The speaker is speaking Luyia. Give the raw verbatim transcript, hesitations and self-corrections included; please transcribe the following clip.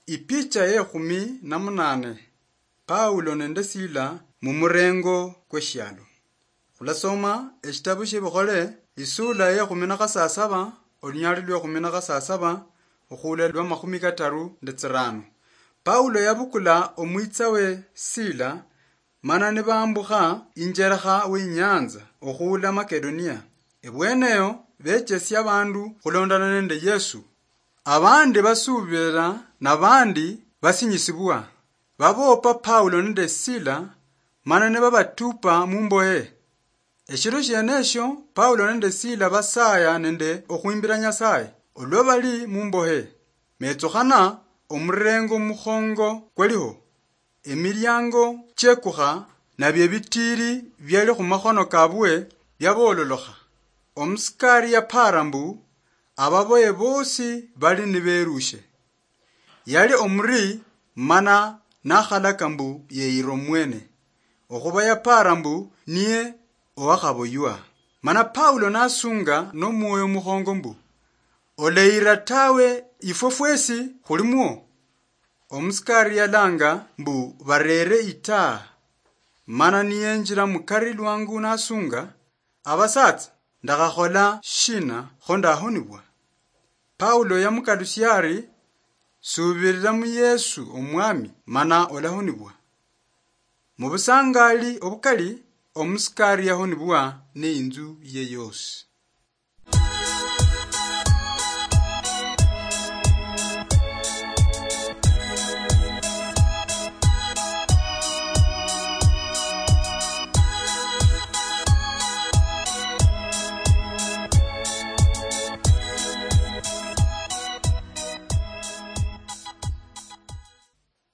Ipicha yekhumi na munane. Paulo nende Sila mumurengo kweshialo. Khulasoma eshitabu shiebikhole, isula yekhumi na khasasaba, olunyali lwekhumi na khasasaba, okhula lwa makhumi kataru nde tsirano. Paulo yabukula omwitsawe Sila, mana nibambukha injerekha weinyanza okhula Makedonia. Ebweneyo bechesia abandu khulondana nende Yesu. Abandi basubira, nabandi basinyisibwa. Babopa Paulo nende Sila, mana nibabatupa mumbohe. Eshiro shienesho Paulo nende Sila basaya nende okhwimbira Nyasaye olwa bali mumbohe. Metsukhana omurengo mukhongo kwaliho. Emiliango chiekukha, nabio ebitiri biali khumakhono kabwe biabololokha. Omusikari yapara mbu ababoye bosi bali niberushe. Yali omuri mana nakhalaka mbu yeyira omwene, okhuba yapara mbu niye owakhaboywa. Mana Paulo nasunga nomwoyo mukhongo mbu, "Oleyira tawe, ifwe fwesi khulimwo." Omusikari yalanga mbu barere itaa, mana niyenjira mukari lwangu nasunga, "Abasatsa, ndakhakhola shina kho ndahonibwa?" Paulo yamukalusia ari, "Subirira mu Yesu Omwami, mana olahonibwa." Mu busangali obukali, omusikari yahonibwa neinzu ye yosi.